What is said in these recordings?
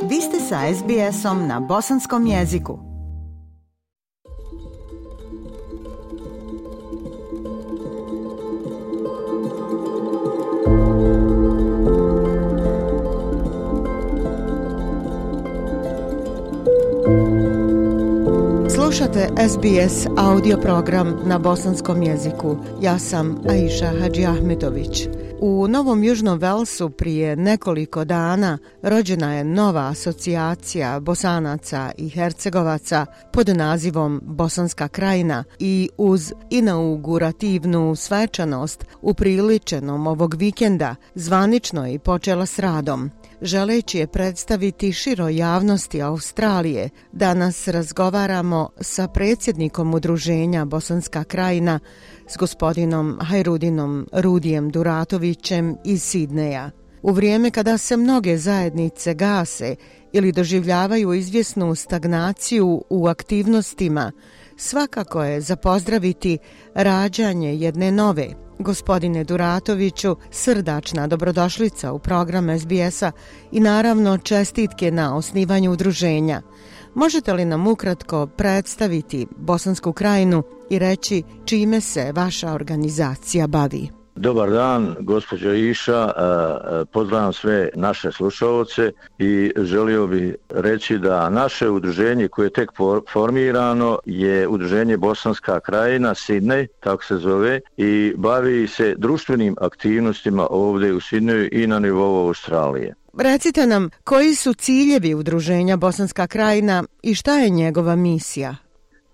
Vi ste sa SBS-om na bosanskom jeziku. Slušate SBS audio program na bosanskom jeziku. Ja sam Aisha Hadži Ahmetović. U Novom Južnom Velsu prije nekoliko dana rođena je nova asocijacija Bosanaca i Hercegovaca pod nazivom Bosanska krajina i uz inaugurativnu svečanost upriličenom ovog vikenda zvanično je počela s radom. Želeći je predstaviti široj javnosti Australije, danas razgovaramo sa predsjednikom udruženja Bosanska krajina, s gospodinom Hajrudinom Rudijem Duratovićem iz Sidneja. U vrijeme kada se mnoge zajednice gase ili doživljavaju izvjesnu stagnaciju u aktivnostima, svakako je za pozdraviti rađanje jedne nove. Gospodine Duratoviću, srdačna dobrodošlica u program SBS-a i naravno čestitke na osnivanju udruženja. Možete li nam ukratko predstaviti Bosansku krajinu i reći čime se vaša organizacija bavi? Dobar dan, gospođo Iša, pozdravljam sve naše slušalce i želio bih reći da naše udruženje koje je tek formirano je udruženje Bosanska krajina, Sidnej, tako se zove, i bavi se društvenim aktivnostima ovdje u Sidneju i na nivou Australije. Recite nam, koji su ciljevi udruženja Bosanska krajina i šta je njegova misija?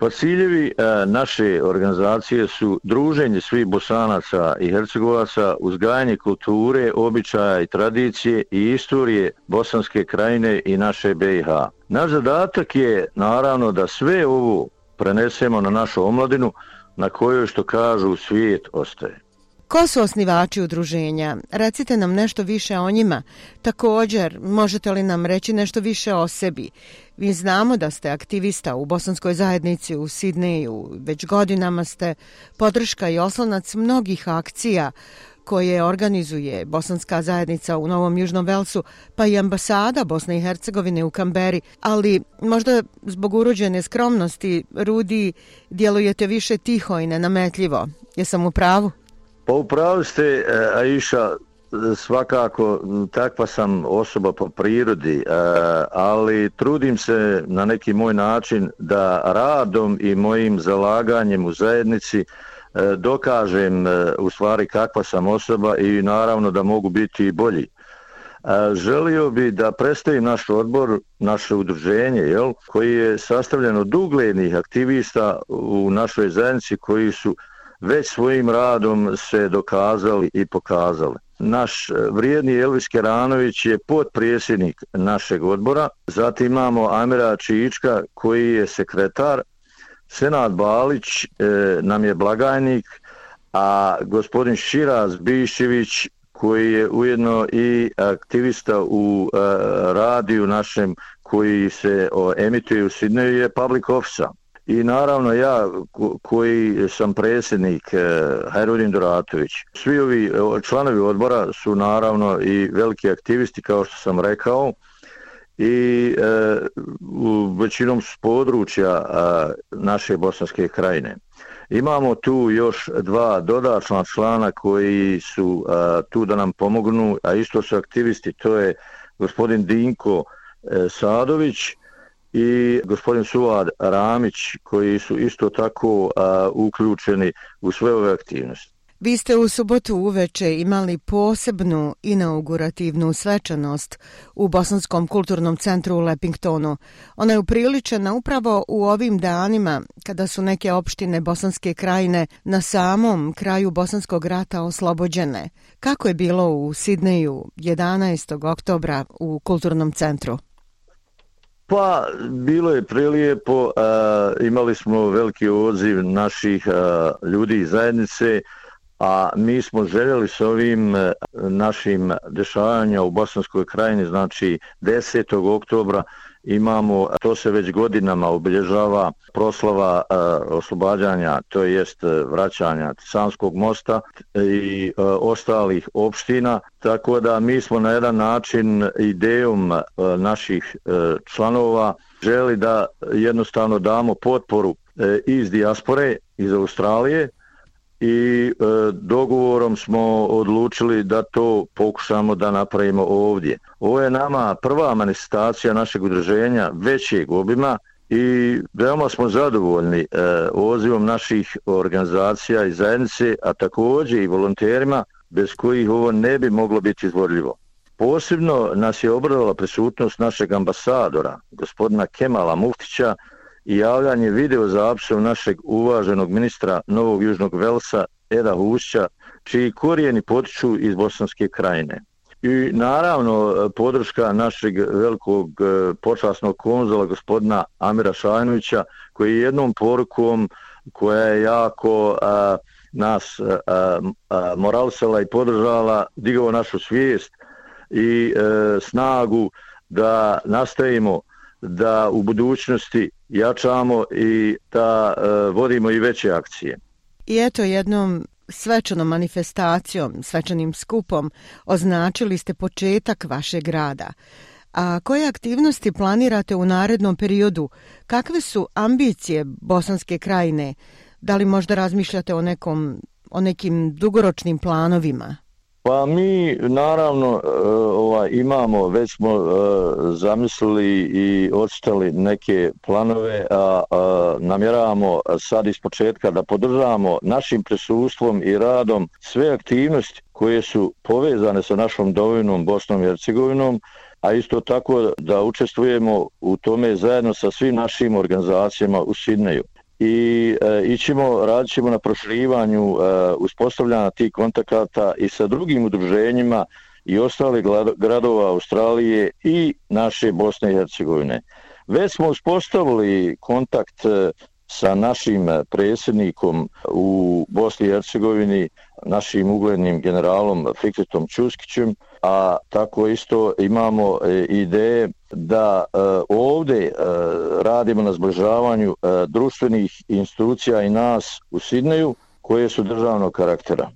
Pa ciljevi naše organizacije su druženje svih Bosanaca i Hercegovaca, uzgajanje kulture, običaja i tradicije i istorije Bosanske krajine i naše BiH. Naš zadatak je naravno da sve ovo prenesemo na našu omladinu na kojoj, što kažu, svijet ostaje. Ko su osnivači udruženja? Recite nam nešto više o njima. Također, možete li nam reći nešto više o sebi? Mi znamo da ste aktivista u bosanskoj zajednici u Sidneju. Već godinama ste podrška i oslonac mnogih akcija koje organizuje bosanska zajednica u Novom Južnom Velsu, pa i ambasada Bosne i Hercegovine u Kamberi. Ali možda zbog urođene skromnosti, Rudi, djelujete više tiho i nenametljivo. Jesam u pravu? Pa upravo ste, Aisha, svakako takva sam osoba po prirodi, ali trudim se na neki moj način da radom i mojim zalaganjem u zajednici dokažem u stvari kakva sam osoba i naravno da mogu biti i bolji. Želio bi da predstavim naš odbor, naše udruženje, koji je sastavljen od uglednih aktivista u našoj zajednici koji su već svojim radom se dokazali i pokazali. Naš vrijedni Elvis Keranović je potpredsjednik našeg odbora, zatim imamo Amira Čička koji je sekretar, Senad Balić nam je blagajnik, a gospodin Širaz Biščević koji je ujedno i aktivista u radiju našem koji se emituje u Sidneju je public officer. I naravno ja koji sam predsjednik Hajrudin Duratović. Svi ovi članovi odbora su naravno i veliki aktivisti kao što sam rekao i većinom s područja naše Bosanske krajine. Imamo tu još dva dodatna člana koji su tu da nam pomognu, a isto su aktivisti, to je gospodin Dinko Sadović i gospodin Suad Ramić koji su isto tako uključeni u sve ove aktivnosti. Vi ste u subotu uveče imali posebnu inaugurativnu svečanost u Bosanskom kulturnom centru u Lepingtonu. Ona je upriličena upravo u ovim danima kada su neke opštine Bosanske krajine na samom kraju Bosanskog rata oslobođene. Kako je bilo u Sidneju 11. oktobra u kulturnom centru? Pa, bilo je prelijepo, imali smo veliki odziv naših ljudi iz zajednice, a mi smo željeli s ovim našim dešavanjima u Bosanskoj krajini, znači 10. oktobra imamo, to se već godinama obilježava proslava oslobađanja, to jest vraćanja Sanskog mosta i ostalih opština, tako da mi smo na jedan način idejom naših članova želi da jednostavno damo potporu iz dijaspore, iz Australije, i dogovorom smo odlučili da to pokušamo da napravimo ovdje. Ovo je nama prva manifestacija našeg udruženja većeg obima i veoma smo zadovoljni odzivom naših organizacija i zajednice, a također i volonterima bez kojih ovo ne bi moglo biti izvodljivo. Posebno nas je obradovala prisutnost našeg ambasadora, gospodina Kemala Muftića, i javljanje video zapisom našeg uvaženog ministra Novog Južnog Velsa Eda Hušća, čiji korijeni potiču iz Bosanske krajine. I naravno podrška našeg velikog počasnog konzula gospodina Amira Šajnovića, koji je jednom porukom koja je jako nas moralisala i podržala, digao našu svijest i snagu da nastavimo da u budućnosti jačamo i da vodimo i veće akcije. I eto, jednom svečanom manifestacijom, svečanim skupom označili ste početak vašeg rada. A koje aktivnosti planirate u narednom periodu? Kakve su ambicije Bosanske krajine? Da li možda razmišljate o nekim dugoročnim planovima? Pa mi naravno imamo, već smo zamislili i ocrtali neke planove, a namjeravamo sad iz početka da podržavamo našim prisustvom i radom sve aktivnosti koje su povezane sa našom domovinom Bosnom i Hercegovinom, a isto tako da učestvujemo u tome zajedno sa svim našim organizacijama u Sidneju. I radit ćemo na proširivanju uspostavljanja tih kontakata i sa drugim udruženjima i ostalih gradova Australije i naše Bosne i Hercegovine. Već smo uspostavili kontakt sa našim predsjednikom u Bosni i Hercegovini, našim uglednim generalom Fikretom Čuskićem, a tako isto imamo ideje da ovdje radimo na zbližavanju društvenih institucija i nas u Sidneju koje su državnog karaktera.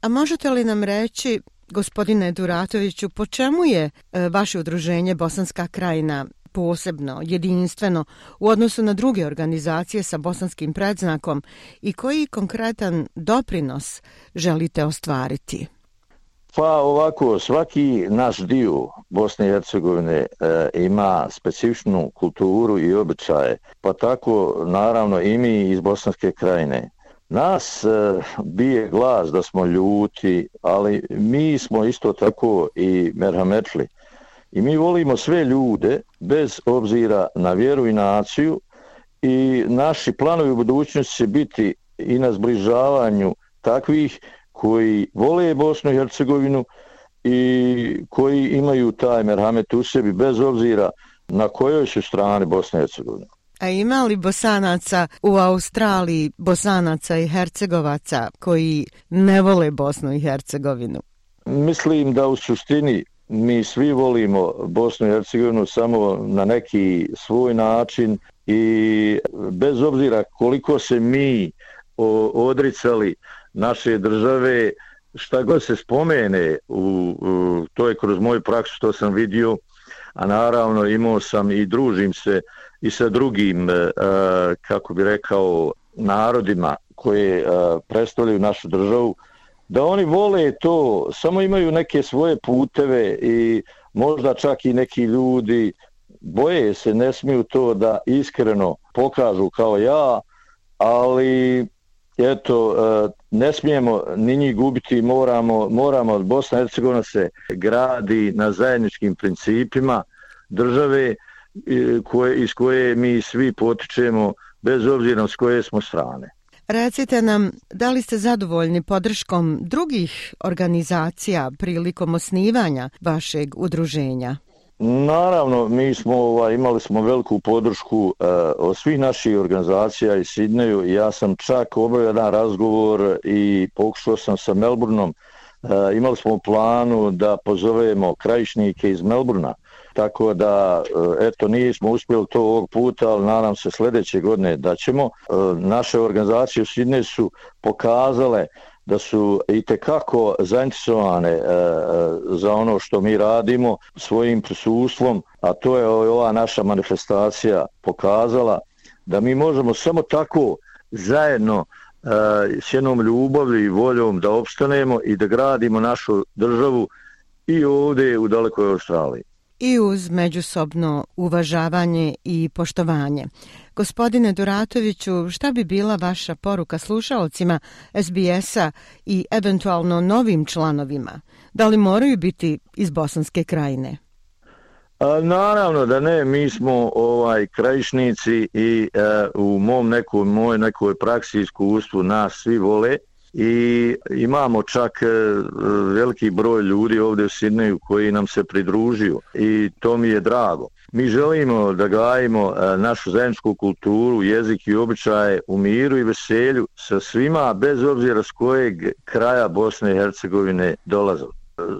A možete li nam reći, gospodine Duratoviću, po čemu je vaše udruženje Bosanska krajina posebno, jedinstveno u odnosu na druge organizacije sa bosanskim predznakom i koji konkretan doprinos želite ostvariti? Pa ovako, svaki naš dio Bosne i Hercegovine ima specifičnu kulturu i običaje, pa tako naravno i mi iz Bosanske krajine. Nas bije glas da smo ljuti, ali mi smo isto tako i merhametli. I mi volimo sve ljude bez obzira na vjeru i naciju i naši planovi u budućnosti će biti i na zbližavanju takvih koji vole Bosnu i Hercegovinu i koji imaju taj merhamet u sebi bez obzira na kojoj su strani Bosne i Hercegovine. A ima li Bosanaca u Australiji, Bosanaca i Hercegovaca koji ne vole Bosnu i Hercegovinu? Mislim da u suštini mi svi volimo Bosnu i Hercegovinu samo na neki svoj način i bez obzira koliko se mi odricali naše države, šta god se spomene, to je kroz moju praksu što sam vidio, a naravno imao sam i družim se i sa drugim, kako bi rekao, narodima koje predstavljaju našu državu, da oni vole to, samo imaju neke svoje puteve i možda čak i neki ljudi boje se, ne smiju to da iskreno pokažu kao ja, ali eto, ne smijemo ni njih gubiti, moramo, Bosna i Hercegovina se gradi na zajedničkim principima države iz koje mi svi potičemo, bez obzira s koje smo strane. Recite nam, da li ste zadovoljni podrškom drugih organizacija prilikom osnivanja vašeg udruženja? Naravno, mi smo imali smo veliku podršku od svih naših organizacija iz Sidneju. Ja sam čak obavio jedan razgovor i pokušao sam sa Melbourneom. Imali smo u planu da pozovemo krajišnike iz Melbournea. Tako da, eto, nismo uspjeli to ovog puta, ali nadam se sljedeće godine da ćemo. Naše organizacije u Sidneju su pokazale da su itekako zainteresovane za ono što mi radimo svojim prisustvom, a to je ova naša manifestacija pokazala da mi možemo samo tako zajedno s jednom ljubavlju i voljom da opstanemo i da gradimo našu državu i ovdje u dalekoj Australiji. I uz međusobno uvažavanje i poštovanje. Gospodine Duratoviću, šta bi bila vaša poruka slušalcima SBS-a i eventualno novim članovima? Da li moraju biti iz Bosanske Krajine? Naravno da ne, mi smo krajišnici i u mojoj nekoj praksi iskustvu nas svi vole. I imamo čak veliki broj ljudi ovdje u Sidneju koji nam se pridružio i to mi je drago. Mi želimo da gajimo našu zajedničku kulturu, jezik i običaje u miru i veselju sa svima, bez obzira s kojeg kraja Bosne i Hercegovine dolaze.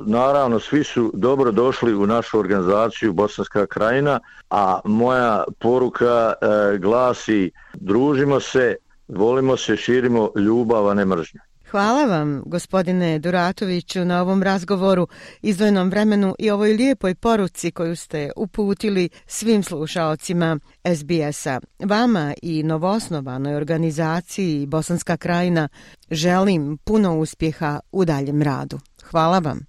Naravno, svi su dobro došli u našu organizaciju Bosanska Krajina, a moja poruka glasi: družimo se, volimo se, širimo ljubav, a ne mržnju. Hvala vam, gospodine Duratoviću, na ovom razgovoru, izdvojenom vremenu i ovoj lijepoj poruci koju ste uputili svim slušaocima SBS-a. Vama i novoosnovanoj organizaciji Bosanska Krajina želim puno uspjeha u daljem radu. Hvala vam.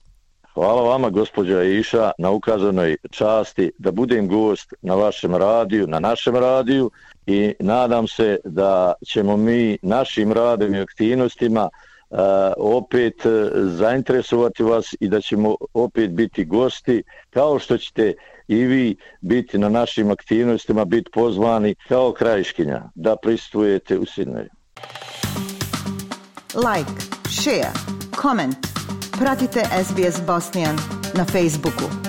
Hvala vama, gospođa Aisha, na ukazanoj časti da budem gost na vašem radiju, na našem radiju, i nadam se da ćemo mi našim radom i aktivnostima opet zainteresovati vas i da ćemo opet biti gosti, kao što ćete i vi biti na našim aktivnostima, biti pozvani kao krajiškinja da prisustvujete u Sidneju. Like, share, comment. Pratite SBS Bosnian na Facebooku.